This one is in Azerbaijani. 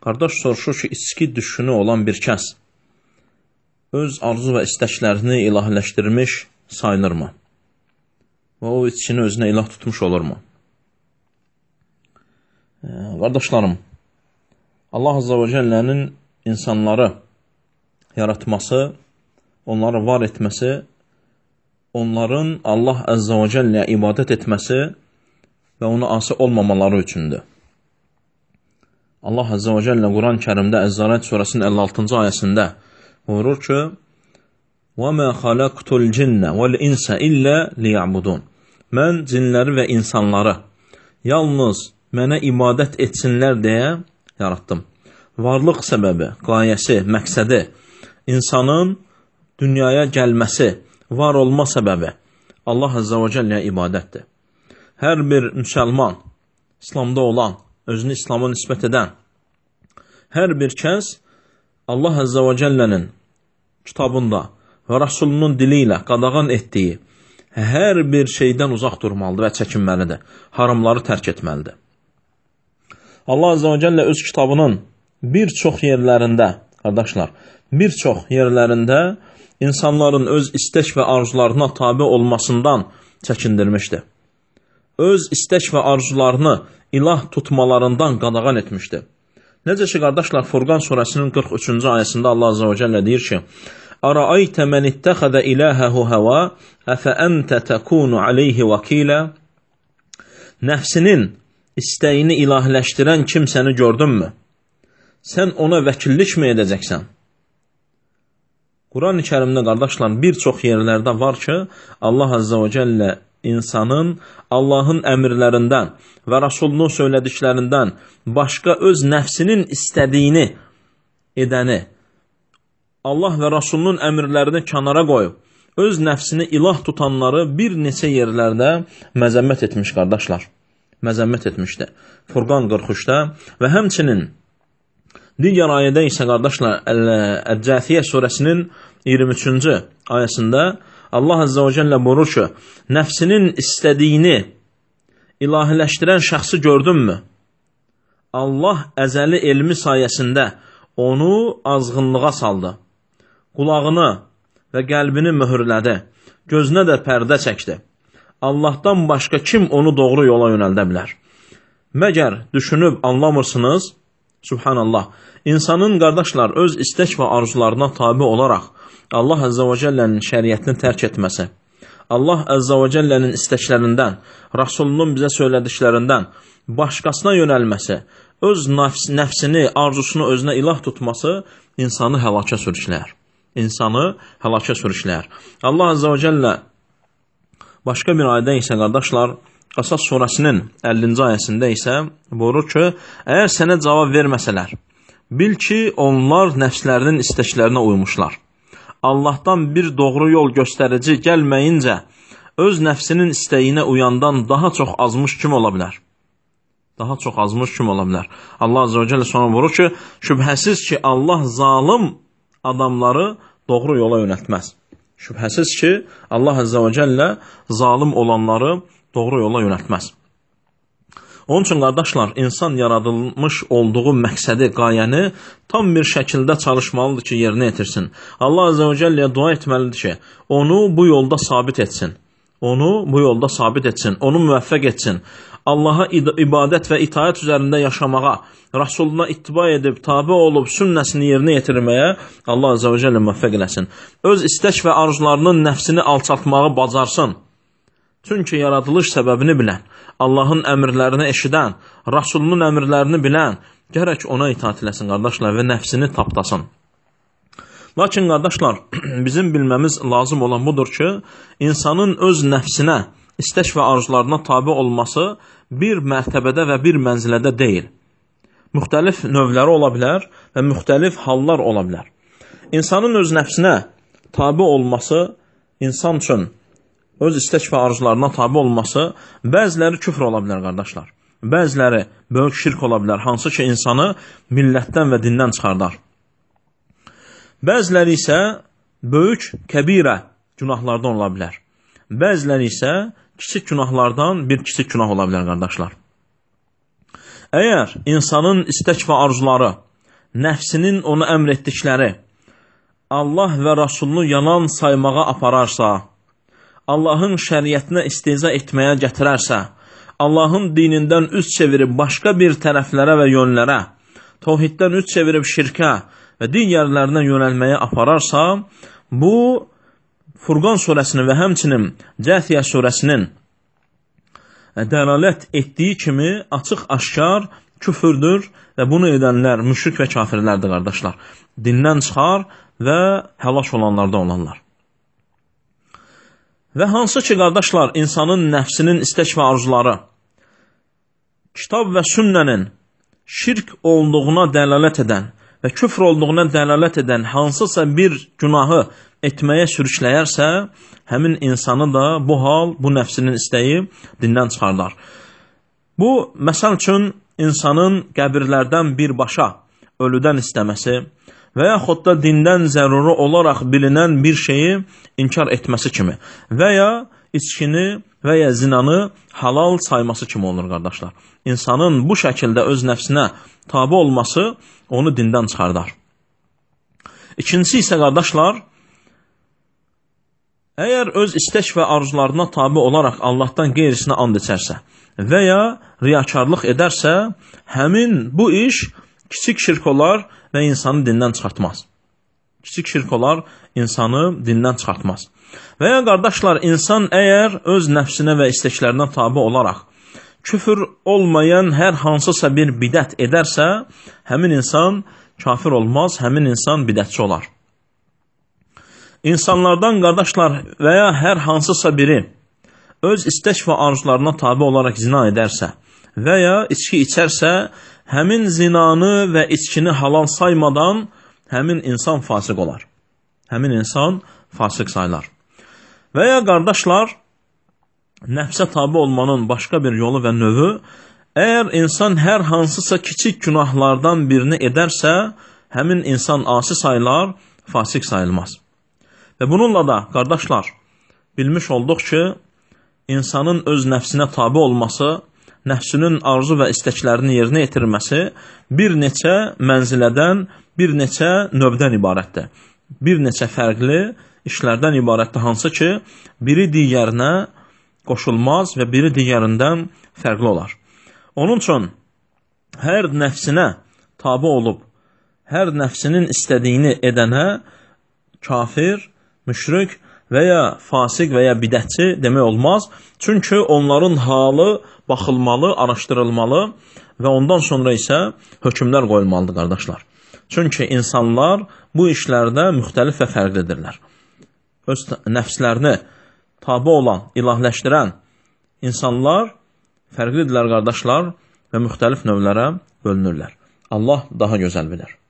Qardaş soruşur ki, içki düşünü olan bir kəs öz arzu və istəklərini ilahiləşdirmiş sayılırmı? Və o içkini özünə ilah tutmuş olurmu? Qardaşlarım, Allah Azza və Cəllənin insanları yaratması, onları var etməsi, onların Allah Azza və Cəlləyə ibadət etməsi və ona asi olmamaları üçündür. Allah Azza və Cəllə Quran-ı Kərimdə Əz-Zariyat surəsinin 56-cı ayəsində buyurur ki, وَمَا خَلَقْتُ الْجِنَّ وَالْإِنْسَ إِلَّا لِيَعْبُدُونَ Mən cinləri və insanları yalnız mənə ibadət etsinlər deyə yaratdım. Varlıq səbəbi, qayəsi, məqsədi, insanın dünyaya gəlməsi, var olma səbəbi Allah Azza və Cəlləyə ibadətdir. Hər bir müsəlman, İslamda olan, özünü İslama nisbət edən, hər bir kəs Allah Azza və Cəllənin kitabında və Rasulunun dili ilə qadağan etdiyi hər bir şeydən uzaq durmalıdır və çəkinməlidir. Haramları tərk etməlidir. Allah Azza və Cəllə öz kitabının bir çox yerlərində, qardaşlar, bir çox yerlərində insanların öz istək və arzularına tabi olmasından çəkindirmişdir. Öz istək və arzularını ilah tutmalarından qadağan etmişdir. Necə ki, qardaşlar, Furqan surəsinin 43-cü ayəsində Allah Azza və Cəllə deyir ki, Ərəaytə mən ittəxədə iləhəhu həva, əfə əntə təkunu aleyhi vəkilə. Nəfsinin istəyini ilahiləşdirən kimsəni gördünmü? Sən ona vəkillik mi edəcəksən? Quran-ı Kərimdə, qardaşlar, bir çox yerlərdə var ki, Allah Azza və Cəllə insanın Allahın əmrlərindən və Rasulunun söylədiklərindən başqa öz nəfsinin istədiyini edəni, Allah və Rasulunun əmrlərini kənara qoyub, öz nəfsini ilah tutanları bir neçə yerlərdə məzəmmət etmiş, qardaşlar. Məzəmmət etmişdir. Furqan 43-də və həmçinin digər ayədə isə, qardaşlar, Əl-Cəthiyyə surəsinin 23-cü ayəsində Allah Azza və Cəllə buyurur ki, nəfsinin istədiyini ilahiləşdirən şəxsi gördünmü? Allah əzəli elmi sayəsində onu azğınlığa saldı. Qulağını və qəlbini möhürlədi. Gözünə də pərdə çəkdi. Allahdan başqa kim onu doğru yola yönəldə bilər? Məgər düşünüb anlamırsınız? Subhanallah. İnsanın, qardaşlar, öz istək və arzularına tabi olaraq Allah Azza və Cəllənin şəriətini tərk etməsi, Allah Azza və Cəllənin istəklərindən, Rasulunun bizə söylədiklərindən başqasına yönəlməsi, öz nəfsini, arzusunu özünə ilah tutması insanı həlakə sürükləyər. İnsanı həlakə sürükləyər. Allah Azza və Cəllə başqa bir ayədə isə, qardaşlar, Qasas surəsinin 50-ci ayəsində isə buyurur ki, əgər sənə cavab verməsələr, bil ki, onlar nəfslərinin istəklərinə uymuşlar. Allahdan bir doğru yol göstərici gəlməyincə, öz nəfsinin istəyinə uyandan daha çox azmış kim ola bilər? Daha çox azmış kim ola bilər? Allah Azza və Cəllə sonra buyurur ki, şübhəsiz ki, Allah zalım adamları doğru yola yönəltməz. Şübhəsiz ki, Allah Azza və Cəllə zalim olanları doğru yola yönəltməz. Onun üçün, qardaşlar, insan yaradılmış olduğu məqsədi, qayəni tam bir şəkildə çalışmalıdır ki, yerinə yetirsin. Allah Azza və Cəlləyə dua etməlidir ki, onu bu yolda sabit etsin. Onu bu yolda sabit etsin, onu müvəffəq etsin. Allaha ibadət və itaət üzərində yaşamağa, Rasuluna ittiba edib, tabi olub, sünnəsini yerinə yetirməyə Allah Azza və Cəllə müvəffəq eləsin. Öz istək və arzularının nəfsini alçaltmağı bacarsın. Çünki yaradılış səbəbini bilən, Allahın əmrlərini eşidən, Rasulunun əmrlərini bilən, gərək ona itaat eləsin, qardaşlar, və nəfsini tapdasın. Lakin, qardaşlar, bizim bilməmiz lazım olan budur ki, insanın öz nəfsinə, istək və arzularına tabi olması bir mərtəbədə və bir mənzilədə deyil. Müxtəlif növləri ola bilər və müxtəlif hallar ola bilər. İnsanın öz nəfsinə tabi olması, insan üçün öz istək və arzularına tabi olması, bəziləri küfr ola bilər, qardaşlar. Bəziləri böyük şirk ola bilər, hansı ki, insanı millətdən və dindən çıxardar. Bəziləri isə böyük kəbirə günahlardan ola bilər. Bəziləri isə kiçik günahlardan bir kiçik günah ola bilər, qardaşlar. Əgər insanın istək və arzuları nəfsinin onu əmr etdikləri Allah və Rasulunu yalan saymağa apararsa, Allahın şəriətinə istehza etməyə gətirərsə, Allahın dinindən üz çevirib başqa bir tərəflərə və yönlərə, tövhiddən üz çevirib şirkə və digərlərinə yönəlməyə apararsa, bu Furqan surəsinin və həmçinin Cəthiyyə surəsinin dəlalət etdiyi kimi açıq-aşkar küfürdür və bunu edənlər müşrik və kafirlərdir, qardaşlar. Dindən çıxar və həlak olanlardan olanlar. Və hansı ki, qardaşlar, insanın nəfsinin istək və arzuları kitab və sünnənin şirk olduğuna dəlalət edən və küfr olduğuna dəlalət edən hansısa bir günahı etməyə sürükləyərsə, həmin insanı da bu hal, bu nəfsinin istəyi dindən çıxardar. Bu, məsəl üçün, insanın qəbirlərdən birbaşa ölüdən istəməsi və yaxud da dindən zəruri olaraq bilinən bir şeyi inkar etməsi kimi və ya içkini və ya zinanı halal sayması kimi olur, qardaşlar. İnsanın bu şəkildə öz nəfsinə tabi olması onu dindən çıxardar. İkincisi isə, qardaşlar, əgər öz istək və arzularına tabi olaraq Allahdan qeyrisinə and içərsə və ya riyakarlıq edərsə, həmin bu iş kiçik şirk olar və insanı dindən çıxartmaz. Kiçik şirk olar, insanı dindən çıxartmaz. Və ya, qardaşlar, insan əgər öz nəfsinə və istəklərinə tabi olaraq küfür olmayan hər hansısa bir bidət edərsə, həmin insan kafir olmaz, həmin insan bidətçi olar. İnsanlardan, qardaşlar, və ya hər hansısa biri öz istək və arzularına tabi olaraq zina edərsə və ya içki içərsə, həmin zinanı və içkini halal saymadan həmin insan fasıq olar. Həmin insan fasıq sayılar. Və ya, qardaşlar, nəfsə tabi olmanın başqa bir yolu və növü, əgər insan hər hansısa kiçik günahlardan birini edərsə, həmin insan asi sayılar, fasıq sayılmaz. Və bununla da, qardaşlar, bilmiş olduq ki, insanın öz nəfsinə tabi olması, nəfsinin arzu və istəklərini yerinə yetirməsi bir neçə mənzilədən, bir neçə növdən ibarətdir. Bir neçə fərqli işlərdən ibarətdir, hansı ki, biri digərinə qoşulmaz və biri digərindən fərqli olar. Onun üçün, hər nəfsinə tabi olub, hər nəfsinin istədiyini edənə kafir, müşrik və ya fasik və ya bidətçi demək olmaz. Çünki onların halı baxılmalı, araşdırılmalı və ondan sonra isə hökmlər qoyulmalıdır, qardaşlar. Çünki insanlar bu işlərdə müxtəlif və fərqlidirlər. Öz nəfslərini tabi olan, ilahləşdirən insanlar fərqlidirlər, qardaşlar, və müxtəlif növlərə bölünürlər. Allah daha gözəl bilir.